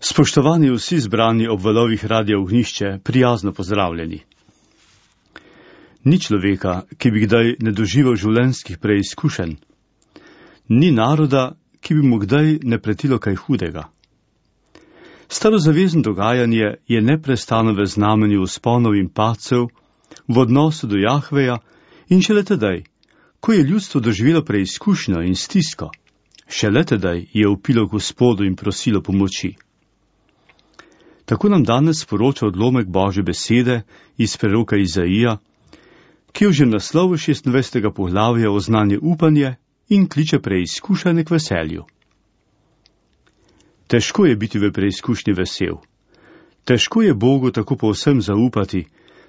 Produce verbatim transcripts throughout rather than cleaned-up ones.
Spoštovani vsi zbrani ob valovih Radia Ognjišče, prijazno pozdravljeni. Ni človeka, ki bi kdaj ne doživel življenjskih preizkušenj. Ni naroda, ki bi mu kdaj ne pretilo kaj hudega. Starozavezno dogajanje je neprestano v znamenju vzponov in padcev, v odnosu do Jahveja in šele tedaj, ko je ljudstvo doživelo preizkušnjo in stisko, šele tedaj je vpilo Gospodu in prosilo pomoči. Tako nam danes sporoča odlomek Božje besede iz preroka Izaija, ki je že v naslovu šestindvajsetega poglavja oznanje upanje in kliče preizkušanje k veselju. Težko je biti v preizkušnji vesel. Težko je Bogu tako povsem zaupati,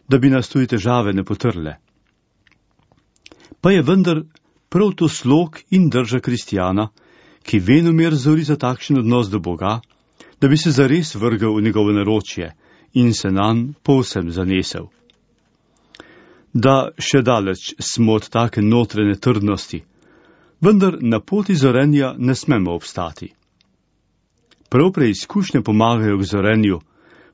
da bi nas tudi težave ne potrle. Pa je vendar prav to slog in drža kristjana, ki venomer zori za takšen odnos do Boga, da bi se zares vrgel v njegovo naročje in se nanj povsem zanesel. Da še daleč smo od take notranje trdnosti, vendar na poti zorenja ne smemo obstati. Prav preizkušnje pomagajo k zorenju,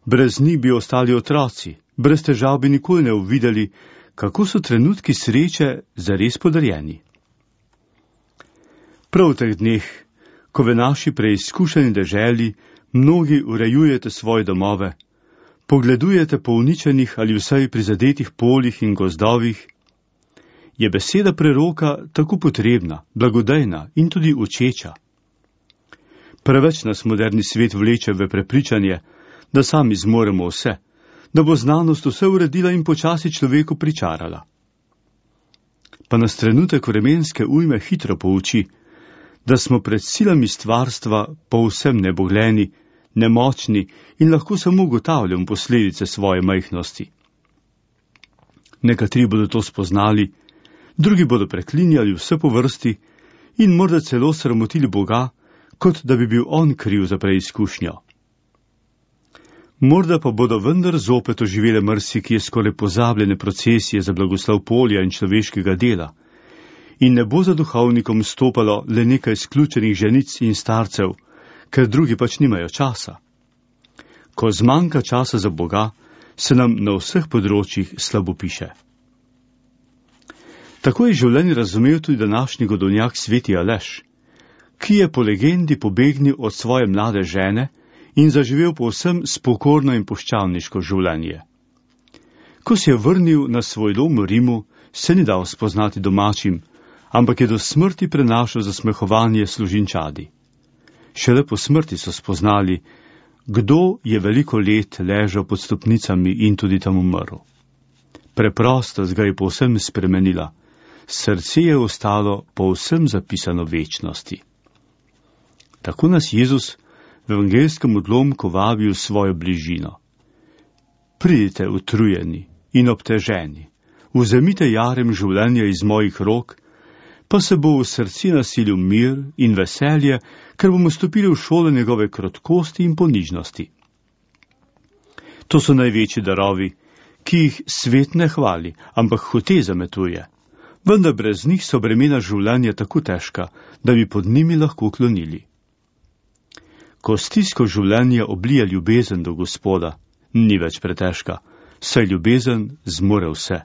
brez njih bi ostali otroci, brez težav bi nikoli ne uvideli, kako so trenutki sreče zares podarjeni. Prav v teh dneh, ko v naši preizkušeni deželi mnogi urejujete svoje domove, pogledujete po uničenih ali vsaj prizadetih poljih in gozdovih, je beseda preroka tako potrebna, blagodejna in tudi učeča. Preveč nas moderni svet vleče v prepričanje, da sami zmoremo vse, da bo znanost vse uredila in počasi človeku pričarala. Pa nas trenutek vremenske ujme hitro pouči, da smo pred silami stvarstva povsem nebogljeni, nemočni in lahko samo ugotavljam posledice svoje majhnosti. Nekateri bodo to spoznali, drugi bodo preklinjali vse po vrsti in morda celo sramotili Boga, kot da bi bil on kriv za preizkušnjo. Morda pa bodo vendar zopet oživele marsikje skoraj pozabljene procesije za blagoslov polja in človeškega dela, in ne bo za duhovnikom stopalo le nekaj izključenih ženic in starcev, ker drugi pač nimajo časa. Ko zmanjka časa za Boga, se nam na vseh področjih slabo piše. Tako je življenje razumel tudi današnji godovnjak sveti Aleš, ki je po legendi pobegnil od svoje mlade žene in zaživel povsem spokorno in poščavniško življenje. Ko se je vrnil na svoj dom v Rimu, se ni dal spoznati domačim, ampak je do smrti prenašal zasmehovanje služinčadi. Šele po smrti so spoznali, kdo je veliko let ležal pod stopnicami in tudi tam umrl. Preprostost ga je povsem spremenila, srce je ostalo povsem zapisano večnosti. Tako nas Jezus v evangelskem odlomku vabi v svojo bližino. Pridite utrujeni in obteženi, vzemite jarem življenja iz mojih rok, pa se bo v srci nasilil mir in veselje, ker bomo stopili v šolo njegove krotkosti in ponižnosti. To so največji darovi, ki jih svet ne hvali, ampak hote zametuje, vendar brez njih so bremena življenja tako težka, da bi pod njimi lahko klonili. Ko stisko življenja oblija ljubezen do Gospoda, ni več pretežka, saj ljubezen zmore vse.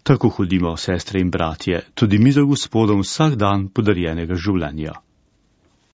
Tako hodimo, sestre in bratje, tudi mi za Gospodom vsak dan podarjenega življenja.